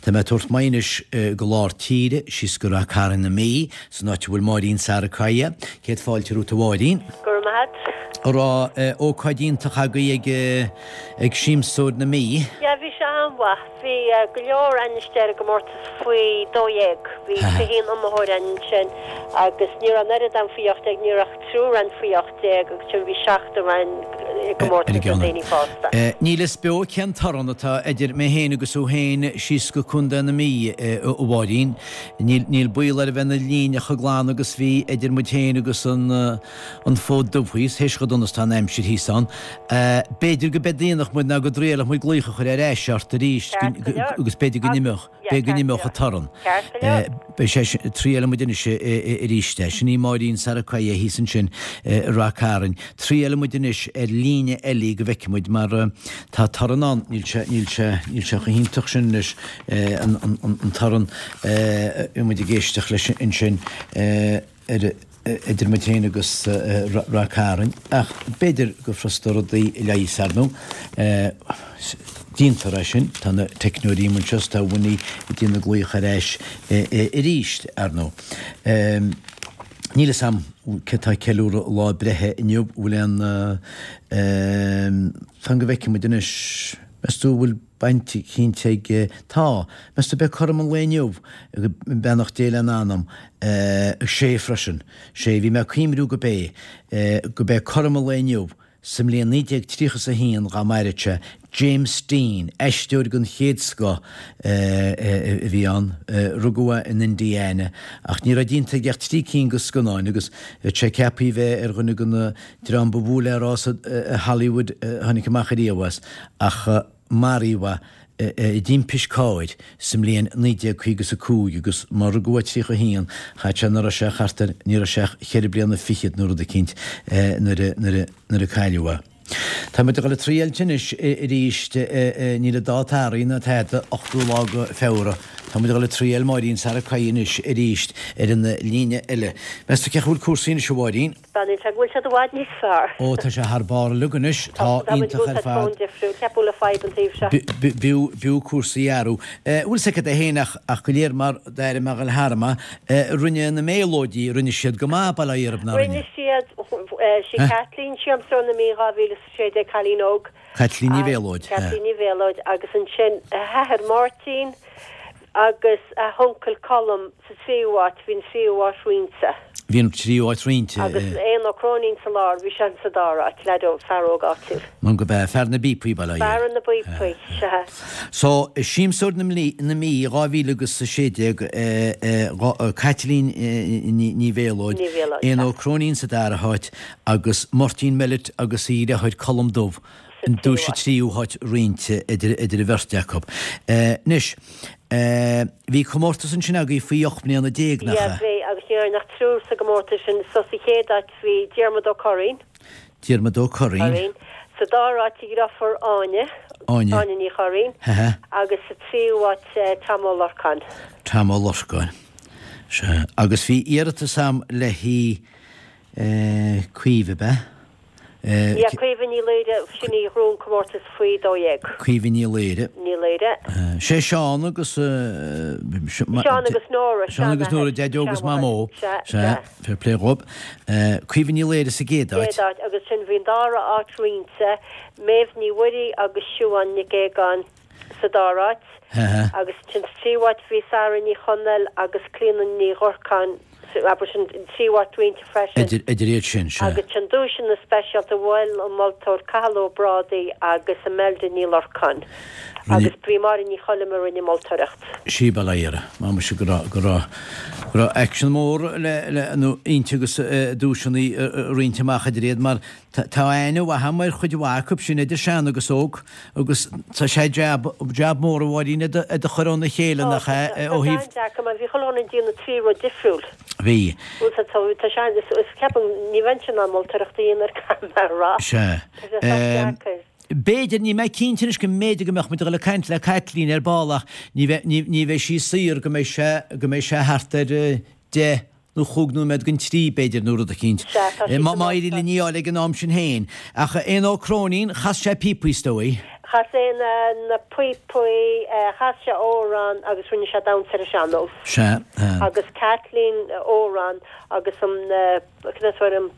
Tá mé ag tabhairt m'aghaidh anois go lár tíre, síos go Rath Cairn na Mí, san áit a bhfuil Máirín Sarikaya. Céad fáilte romhat a Mháirín. Go raibh maith agat. An raibh ócáid iontach agaibh ag ag Siamsóir na Mí? Yeah, bhí sé an-mhaith. Bhí go leor againn istigh ar an gcomórtas faoi 12. Bhí 21 iomaitheoir againn ansin agus ní raibh an oiread ann faoi 18, ní raibh ach triúr ann faoi 18 agus ansin bhí seachtar ann i gcomórtas na daoine fásta. Níl fhios beo cén torann atá idir mé féin agus thú féin síos go Contae na Mí, a Mháirín. Níl baol air a bheith na líne chomh glan agus bhí idir muid féin agus an an Fód Dubh thíos, théis chomh dona is atá an aimsir thíos ann. B'fhéidir go dtriailfeadh muid ná go dtriailfeadh muid glaoch a chur ar ais ort arís agus b'fhéidir go n-imeodh, b'fhéidir go n-imeodh an torann. Beidh sé sin, triailfidh muid anois arís é. Sin í Máirín Sarikaya thíos ansin i Rath Cairn. Triailfidh muid anois ar líne eile go bhfeicfidh muid mar tá torann ann, níl sé, níl sé, níl sé chomh hiontach sin anois an, an, an torann a bhí muid ag éisteacht leis ansin ar idir muid féin agus Rath Cairn, ach b'fhéidir gur furasta rudaí a leigheas, ar ndóigh. Déantar é sin, tá na teicneoirí amuigh anseo is tá Winnie ag déanamh glaoch ar ais arís, ar ndóigh. Níl fhios a'm cé tá ag ceiliúradh lá breithe inniu, bhfuil aon, fan go bhfeicfidh muid anois, meas tú bhfuil baint eicínt ag, tá, meas tú ab é cothrom an lae inniu, beannacht Dé lena anam, sé freisin, sé, bhí mé ag cuimriú go b'é, go b'é cothrom an lae inniu, sa mbliain 1931 dá maireadh sé, James Dean, aisteoir den chéad scoth a bhí ann, rugadh é in Indiana, ach ní raibh déanta aige ach 3 cinn de scannáin agus bhí sé ceaptha a bheith ar dhuine de na dream ba mhó le rá sa Hollywood a tháinig amach ariamh as, ach maraíodh é i dtimpist cairr sa mbliain 1955 agus má rugadh é 31, chaith sé, ní raibh sé thart ar, ní raibh sé ach cheithre bliana fichead nó rud eicínt nuair a, nuair a, nuair a cailleadh é. Tá muid ag dul ag triailt anois arís, níl an dáta athraithe ná tada, 8ú lá de Feabhra. Tá muid ag dul ag triail Máirín Sarikaya anois arís ar an líne eile. Meas tú cén chaoi a bhfuil cúrsaí anois a Mháirín? Beannaíonn sé go bhfuil siad i bhfad níos fearr. Ó tá sé thar barr uilig anois, tá iontach ar fad. Ceapadh le fadhb an taobh seo. B'fhiú, b'fhiú cúrsaí a athrú. Bhfuil 's agat é féin ach, ach go léir mar d'airigh mé dhul thar ma, rinne na Méalóidí, rinne siad go maith, bail ó Dhia orthu, nár rinne? Rinne siad, sí Caitlín, Siamsóir na Mí 2016, cailín óg. Caitlín Ní Mhéalóid. Caitlín Ní Mhéalóid agus ansin a hathair Máirtín agus a huncail Colm sa tríú háit, bhí an tríú háit roinnte. Bhí an tríú háit roinnte. Agus Éanna Ó Cróinín sa lár, bhí sé sa dara háit, leaid óg, fear óg áitiúil. Nó go b'ea fear na bpíopaí, bail ó Dhia. Fear na bpíopaí, sea. So, Siamsóir na Mí 2016, Caitlín Ní Mhéalóid, Éanna Ó Cróinín sa dara háit agus Máirtín Mellett agus a dheartháir Colm Dubh, an duais sa tríú háit roinnte idir an bheirt acu. Anois, bhí comórtas ansin agaibh faoi 18 mbliana, nach ea? Bhí, agus ní raibh ach triúr sa gcomórtas sin. So sa chéad áit bhí Diarmuid Ó Curraoin. Diarmuid Ó Curraoin. Sa dara háit a dheirfiúr Áine. Áine. Áine Ní Churraoin. Agus sa tríú háit Tom Ó Lorcáin. Tom Ó Lorcáin. Sea. Agus bhí iarratas a'm le hí Caoimhe, ab ea? Yeah, Caoimhe Ní Laoire, sin í a ghnóthaigh an comórtas faoi 12. Caoimhe Ní Laoire. Ní Laoire. Sé Seán agus. Seán agus Nóra. Seán agus Nóra, Daideo agus Mamó. Sea, sea. Fair play dhób. Caoimhe Ní Laoire sa gcéad áit. Céad áit agus ansin bhí an dara áit roinnte, Méabh Ní Mhuirí agus Siubhán Nic Aogáin sa dara háit agus ansin sa tríú háit bhí Sara Ní Chonaill agus Clíona Ní Dhurcáin abair sin an tríú háit roinnte freisin. Idir iad sin, sea. Agus ansin duaiseanna speisialta mhol an moltóir Cathal Ó Brádaigh agus Imelda Ní Lorcáin agus b'í Máire Ní Choilm a rinne moltóireacht. Sí bail ó Dhia uirthi. Má muise go raibh, go raibh, go raibh aicsean mór le, le, nó inti agus duaiseanna a roinnt amach idir iad mar tá aithne mhaith agam ar chuid mhaith acu sin idir sean agus óg agus tá sé jab, jab mór a Mháirín iad a chur óna chéile nach ea ó thaobh. Tá sé an-deacair mar bhí chuile dhuine ag déanamh 3 rud difriúil. Bhí. Bhuel tá, tá sé, is ceapaim ní bheinnse in ann moltóireacht a dhéanamh ar caithfidh mé a rá. Sea. Tá sé sách deacair. B'fhéidir, níl mé cinnte anois go mb'fhéidir go mbeadh muid ag dul ag caint le Caitlín ar ball ach ní bheidh, ní, ní bheidh sí saor go mbeidh sé, go mbeidh sé thart ar deich nó chúig nóiméad don trí b'fhéidir nó rud eicínt. Sea, tá sí Má, má éiríonn linn í a fháil ag an am sin féin. Ach Éanna Ó Cróinín, chas sé píopaí is dóigh. Chas Éanna na píopaí, chas sé amhrán agus rinne sé damhsa ar an sean-nós. Sea. Agus Caitlín amhrán agus an, cad é an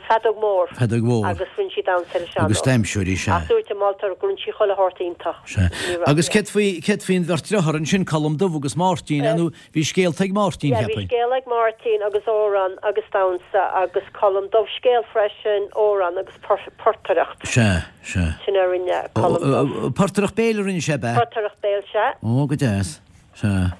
feadóg mhór. Feadóg mhór. Agus rinne sí damhsa ar an sean-nós. Agus damhsóirí, sea. Ach dúirt an moltóir go rinne sí chuile shórt iontach. Sea. Agus céard faoi, céard faoin bheirt deartháir ansin, Colm Dubh agus Máirtín, nó bhí scéalta ag Máirtín, Yeah, bhí cheapfainn. scéal ag Máirtín agus amhrán agus damhsa agus Colm Dubh scéal freisin, amhrán agus portaireacht. Sea, sea. Sin a rinne Colm Dubh. Portaireacht béil a rinne sé, ab ea? Portaireacht béil, sea. Ó, go deas. Sea.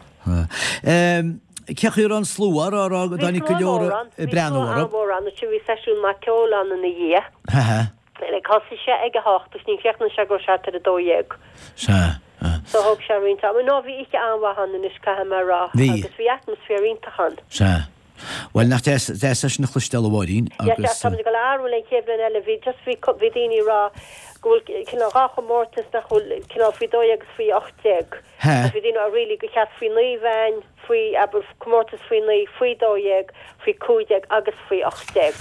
Cé chaoi a raibh an slua, a raibh go dtáinig go leor ag breathnú orthu? Bhí slua an-mhór ann, ansin bhí seisiún maith ceoil ann ina dhiaidh. Haha. Like thosaigh sé ag a hocht agus ní chríochnaigh sé go raibh sé thart ar a 12. Sea. So thóg sé roinnt ama. No bhí oíche an-mhaith ann anois caithfidh mé a rá. Bhí. Agus bhí atmaisféar iontach ann. Sea. Bhuel, nach deas, deas é sin a chloisteáil a Mháirín, agus. Yeah, sea, táimid ag dul a athrú le chéad bhliain eile, bhí just, bhí, bhí daoine ag rá go bhfuil cineál dhá chomórtas nach bhfuil cineál faoi 12 agus faoi 18. He. Agus bhí daoine ag rá really gur cheart faoi 9 a bheith ann, faoi, abair, comórtas faoi 9, faoi 12, faoi 15 agus faoi 18.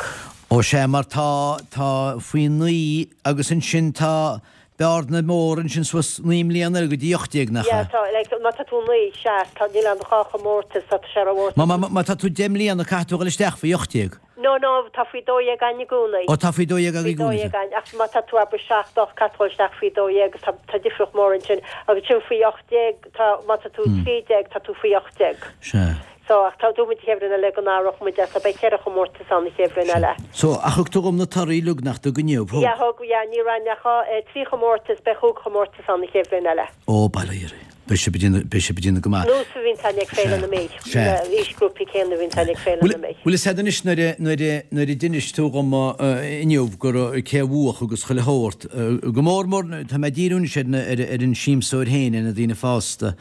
Ó sea, mar tá, tá faoi 9 agus ansin tá bearna mór ansin suas 9 mbliana eile go dtí 18, nach ea? Yeah, tá, like, má tá tú 9, sea, tá, níl ann ach dhá chomórtas, tá sé ró-mhór. Má, má, má tá tú 10 mbliana, caithfidh tú a dhul isteach faoi 18. No, no, tá faoi 12 againn i gcónaí. Ó, tá faoi 12 agaibh i gcónaí. Faoi 12 againn, ach má tá tú abair 7, 8, caithfidh tú a dhul isteach faoi 12 agus tá, tá difríocht mór ansin. Agus ansin faoi 18, tá, má tá tú 13, tá tú faoi 18. Sea. So, ach tá, dúirt muid an chéad bhliain eile go n-athródh muid é, so beidh cheithre chomórtas ann an chéad bhliain eile. So, ach thug tú dhom na torthaí uilig nach dtug inniu, thug? Yeah, thug, yeah, ní raibh ach dhá, eh, trí chomórtas, beidh chúig chomórtas ann an chéad bhliain eile. Ó, bail ó Dhia oraibh. Beidh sibh ag déanamh, beidh sibh ag déanamh go maith. Nós a bhíonns againn ag Féile na Mí. Sea. Na aoisghrúpaí céanna a bhíonns againn ag Féile na Mí. Bhfuil fhios a'd anois nuair a, nuair a, nuair a d'inis tú dhom inniu go raibh, cé a bhuach agus chuile shórt, go mór mór, tá mé ag díriú anois ar na, ar, ar an siamsóir féin, ar na daoine fásta,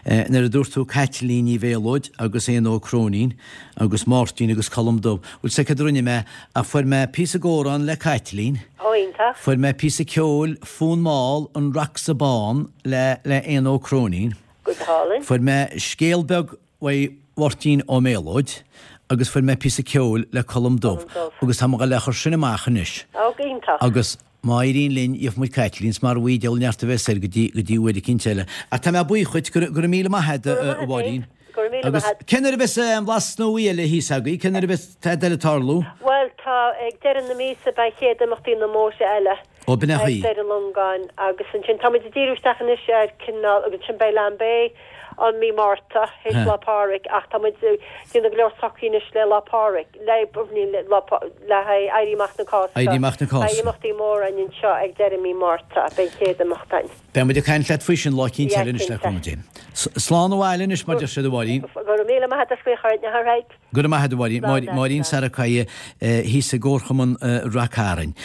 Nuair a dúirt tú Caitlín Ní Mhéalóid agus Éanna Ó Cróinín agus Máirtín agus Colm Dubh, bhfuil 's a'd céard a rinne mé ach fuair mé píosa d'amhrán le Caitlín, Ó, iontach. fuair mé píosa ceoil Fonn Mall an Raxa Bán le le Éanna Ó Cróinín, Go hálainn. fuair mé scéal beag uaidh Mháirtín Ó Méalóid agus fuair mé píosa ceoil le Colm Dubh agus tá mé ag dul é a chur sin amach anois. Ó, go hiontach. Agus Má éiríonn linn, gheobhaidh muid Caitlín, 's mara bhfaighidh diabhal neart a bheas air go dtí, go dtí uair eicínt eile. Ach tá mé buíoch dhuit, go raibh, go raibh míle maith a'd, a Mháirín. Go raibh míle Agus maith a'd. cén uair a bheas an Blas Nua eile thíos agaibh? Cén uair a bheas tada eile ag tarlú? Bhuel, tá, ag deireadh na míosa beidh chéad imeachtaí na Móise eile Ó, b'in é ag chaoi. Doire Longáin agus ansin táimid ag díriú isteach anois ar cineál, agus ansin beidh Lambay an mí Márta, théis Lá Pádraig, ach tá muid ag déanamh go leor socruithe anois le Lá Pádraig, le, le, le haghaidh Éirí Amach na Cásca. Éirí Amach na Cásca. Beidh imeachtaí móra againn anseo ag deireadh mí Márta, beidh an chéad imeacht againn. Beidh muid ag caint leat faoi sin lá eicínt Yeah, eile anois le cinnte. cúnamh Dé. Slán abhaile anois mar deir siad a Mháirín. Go raibh míle maith agat as glaoch orainn, all right. Go raibh maith agat a Mháirín. Máirín Sarikaya thíos i gComharchumann Rath Cairn.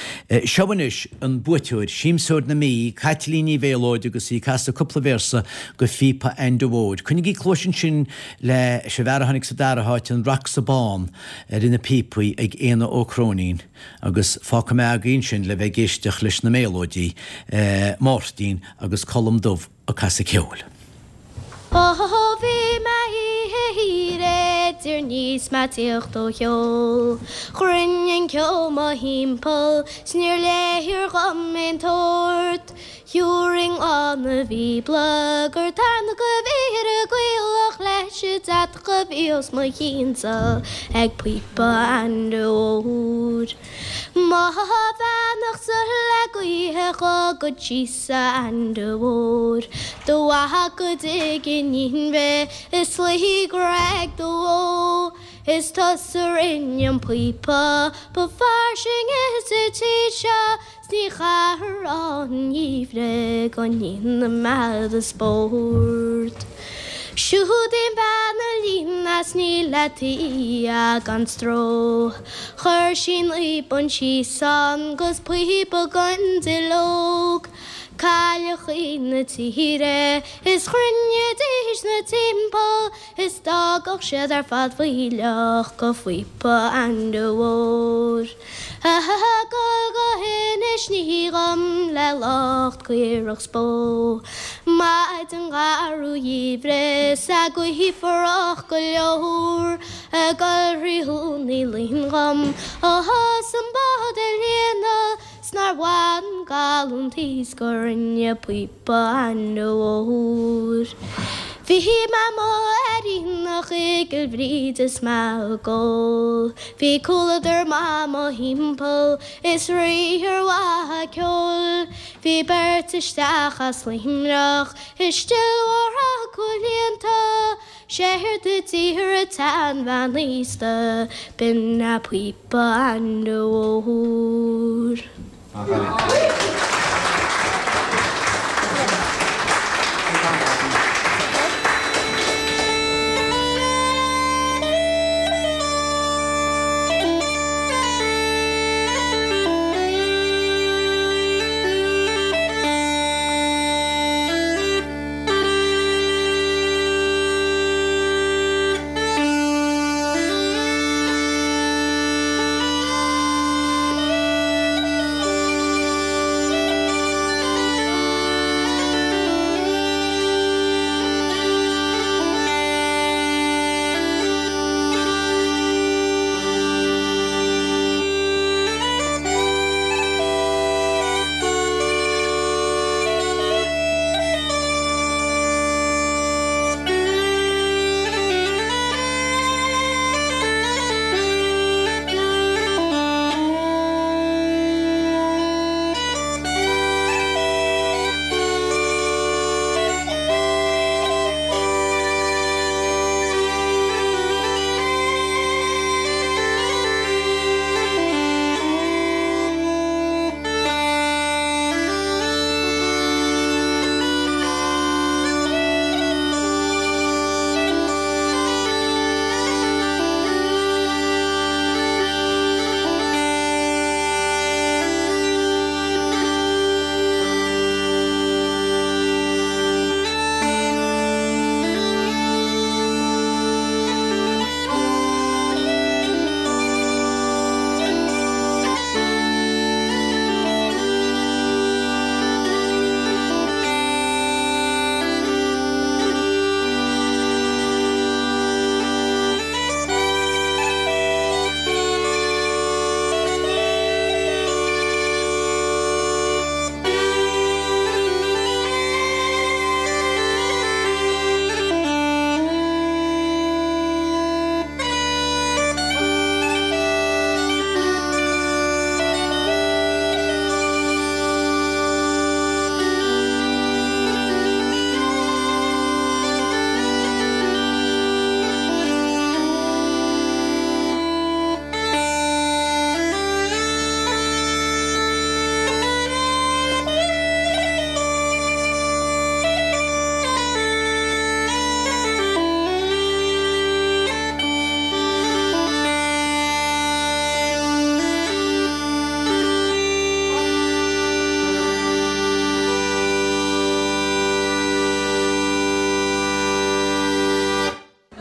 Seo anois an buaiteoir, Siamsóir na Mí, Caitlín Ní Mhéalóid agus í ag casadh cúpla véarsa go phíopa Ainde Mhóir. Coinnigí cluais ansin leis an bhfear a tháinig sa dara háit, an Raxa Bán, ar na píopaí ag Éanna Ó Cróinín agus fágfaidh mé agaibh ansin le bheith ag éisteacht leis na Méalóidí, Máirtín agus Colm Dubh. ag casadh ceoil. Ó bhí mé oíche thiar i dtír 'níos mé ag tíocht ó sheol. Chruinnigh an ceo mo thimpeall 's níor léir dhom aon tsórt. Thiúrfainn lá na Bíobla gur tarna go bhfíor a gcaolach leis an deatach a bhí os mo chionn-sa ag píopa Ainde Mhóir. Mo bheannacht-sa le gaoithe dhugad síos a Ainde Mhóir, Do mhaith go dtig in inmhe is luí go raig do bhó, Is tusa rinne an píopa ba fairsinge sa tír seo 's ní chaithfear an gheimhreadh go ndéana mé do spórt. Siúd í an bhean a líon as ní le tuí gan stró. Chuir sí naoi bpunt síos ann 'gus píopa gon duilleog. Cailleachaí na tíre is chruinnidís 'na timpeall is d'fhágadh siad ar fad fuílleach go phíopa Ainde Mhóir. Ag dul go hInis Ní dhom le lucht caorach 's bó. Maidin gharbh gheimhridh 's an ghaoth fuarach go leor ag dul thrí Dhún Uí Fhloinn dhom 's an bád a líonadh. 'S nár mhaith an galúntaí 's go rinne píopa Aindriú Úr. Bhí mé amuigh ar aonach i gCill Bhríde is mé ag ól. Bhí comhluadar maith mo thimpeall is riar mhaith ceoil. Bhí beirt isteach as Luimneach i steillmhór acu líonta. Séard a d'iarr an tseanbhean aosta, b'in é píopa Aindriú Úr.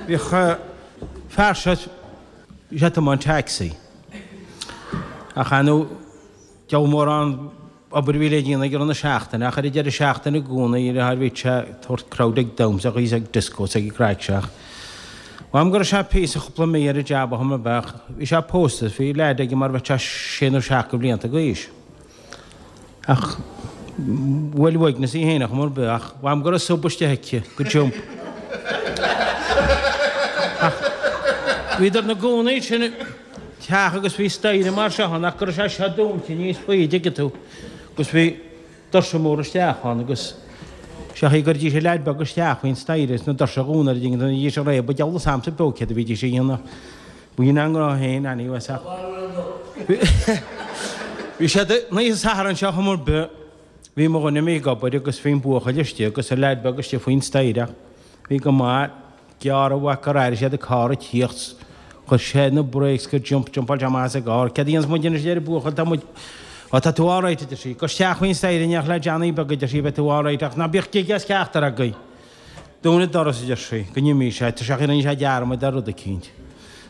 Bhíodh fear seo, bhí sé ag tiomáint taxi. Ach ar ndóigh, diabhal mórán obair a bhí le déanamh aige i rith na seachtaine, ach ar an deireadh seachtaine i gcónaí, bhíodh sé ag tabhairt crowd ag damhsa agus ag disco is ag craic ach mh'anam go raibh sé píosa chúpla mí ar an jab ó shin ab ea ach bhí sé pósta is bhí leaid aige mar bheadh sé sé nó seacht de bhlianta d'aois. Ach bhuail uaigneas í féin ar chuma ar bith ach mh'anam go raibh subh istigh aici go jump. Ach bhíodar 'na gcónaí sin teach agus bhí staighre mar seo ann ach go raibh sé seo dúnta níos faide, dtuigeann tú, agus bhí doirse móra isteach ann agus sé an chaoi a gcuiridís an leaid beag isteach faoin staighre is na doirse a dhúnadh, dtuigeann tú, bhídís ag réabadh, diabhal 'fhios a'msa beo céard a bhídís a dhéanamh. B'in a ngnó féin anyways ach bhí siad an oíche Sathairn seo chuma ar bith, bhí mo dhuine imithe ag obair agus bhí an buachaill istigh agus an leaid beag istigh faoin staighre ach bhí go maith, gearr uaidh gur airigh siad an carr ag tíocht, chuir sé na brakes go jump, jumpáil sé amach as an gcarr, céard a dhéanfas muid anois a deir an buachaill, tá muid, ó tá tú alright a deir sí, gabh isteach faoin staighre in éineacht le Johnny beag a deir sí, beidh tú alright ach ná bíodh gig as ceachtar agaibh. Dún an doras, a deir sí, go n-imí sé, tá sé rinne sé dearmad ar rud eicínt.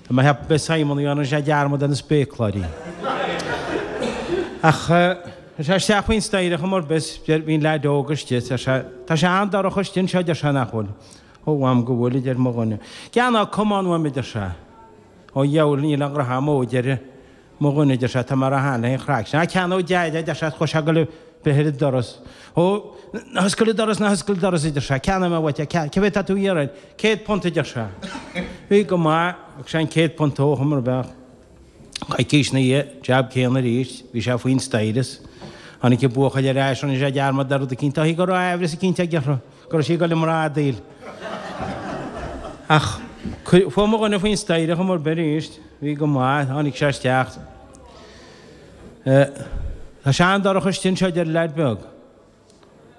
Tá mé ag ceapadh b'é Simon a rinne sé dearmad ar na spéacláirí. Ach chuir sé isteach faoin staighre chuma ar bith, bhí an leaid óg istigh, deir sé, tá sé an-dorcha istigh anseo, a deir sé, nach bhfuil? Ó, mh'anam go bhfuil, a deir mo dhuine. Gean ná camán uaim, a deir sé. Ó, dheabhail, níl aon ghraithe agam, ó, a deir. Mo dhuine, a deir sé, tá mé róshean le haghaidh an chraic sin. Á, ceannóidh Deaid é, a deir sé, chuaigh sé ag dul ag breith ar an doras. Ó, ná hoscail an doras, ná hoscail an doras, a deir sé, ceannóidh mé uait é, cé mhéad tá tú a iarraidh? £100, a deir sé. Bhí go maith, thug sé an £100 dó, chuma ar bith. Coicís ina dhiaidh, jab céanna arís, bhí sé faoin staighre is tháinig an buachaill ar ais, rinne sé dearmad ar rud eicínt, dóichí go raibh aimhreas eicínt aige orthu, go raibh sí ag dul i mbradaíl. Ach fuair mo dhuine faoin staighre chuma ar bith arís, bhí go maith, tháinig sé isteach. Tá sé an-dorcha istigh anseo, a deir an leaid beag.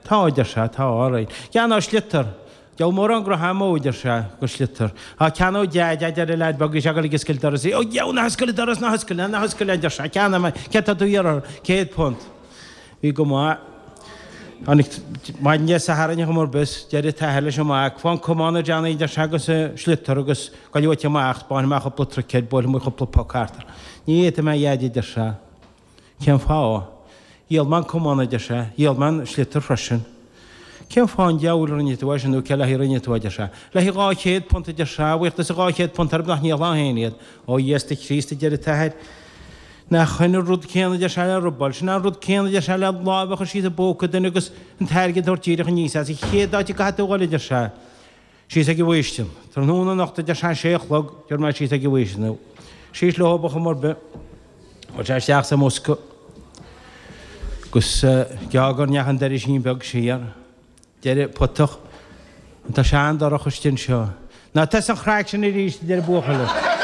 Tá, a deir sé, tá, alright. Ceannóidh sliotar. Diabhal mórán gnoithe amú, a deir sé, go sliotar. Á, ceannóidh Deaid é, a deir an leaid beag, bhí sé ag dul ag oscailt doras. Ó, dheabhail, ná hoscail an doras, ná hoscail, ná hoscail é, a deir sé, ceannóidh mé, céard tá tú a iarraidh? £100. Bhí go maith. Tháinig maidin Dé Sathairn chuma ar bith, deir an t-athair leis an mac, Faigh an camán, a Johnny, a deir sé, agus an sliotar agus gabh uait amach, 'spáinfidh mé cúpla truicéad, buailfidh muid cúpla poc thart. Ní fhéadfaidh mé a Dheaid, a deir sé. Cén fáth? Dhíol mé an camán, a deir sé. Dhíol mé an sliotar freisin. Cén fáth an diabhal a rinne tú é sin nó cé le haghaidh a rinne tú é, a deir sé. Le haghaidh £200, a deir sé. A bhuíochas de £200 orm nach ndíolfá féin iad. Ó Íosta Críost, a deir an t-athair. Nach shin an rud céanna, a deir sé, le robáil. Sin an rud céanna, a deir sé, le lámh a chur síos i bpóca duine agus an t-airgead a thabhairt díreach aníos as. An chéad áit a gcaithfidh tú a dhul, a deir sé. Síos ag an bhFaoistin. Tráthnóna anocht a deir sé, sé a chlog, tabharfaidh mé síos ag an bhFaoistin thú. Síos leo ar chuma ar bith. Chuaigh sé isteach sa mbosca agus gearr go ndeachaigh an doirisín beag siar. Deir an putach, Tá sé an-dorcha istigh anseo. Ná tosaigh an chraic sin arís, a deir an buachaill.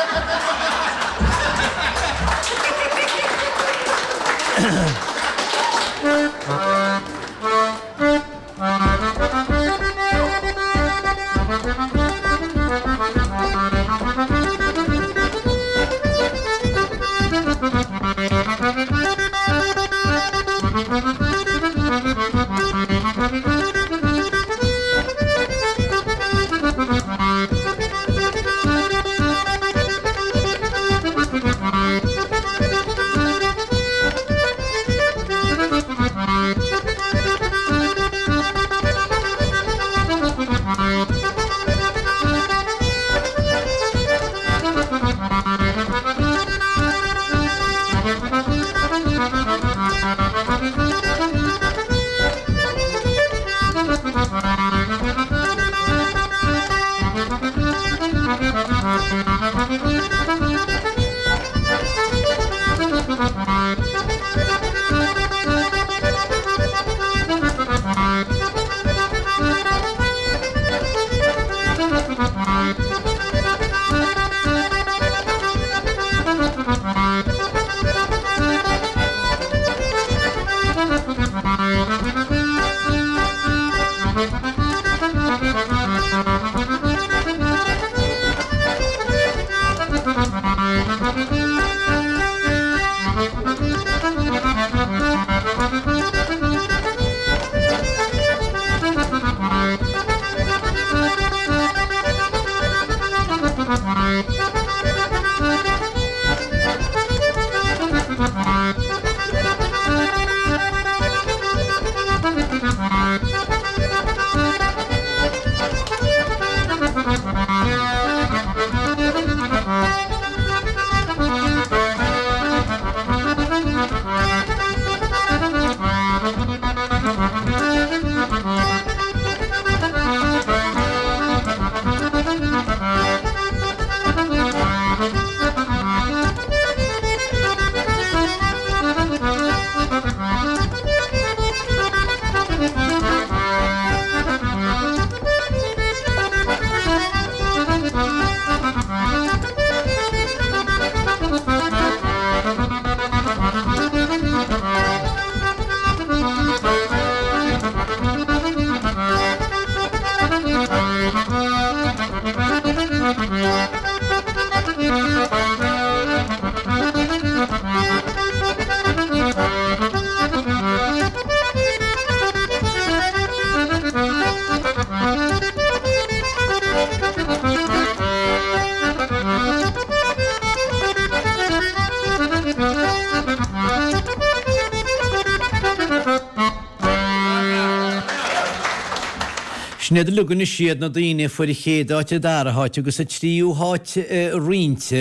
Sin iad uilig anois iad na daoine a fuair an chéad áit, an dara háit agus an tríú háit roinnte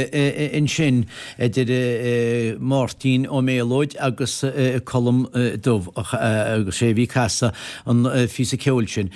ansin idir Máirtín Ó Méalóid agus Colm Dubh agus sé a bhí ag casadh an phíosa ceoil sin.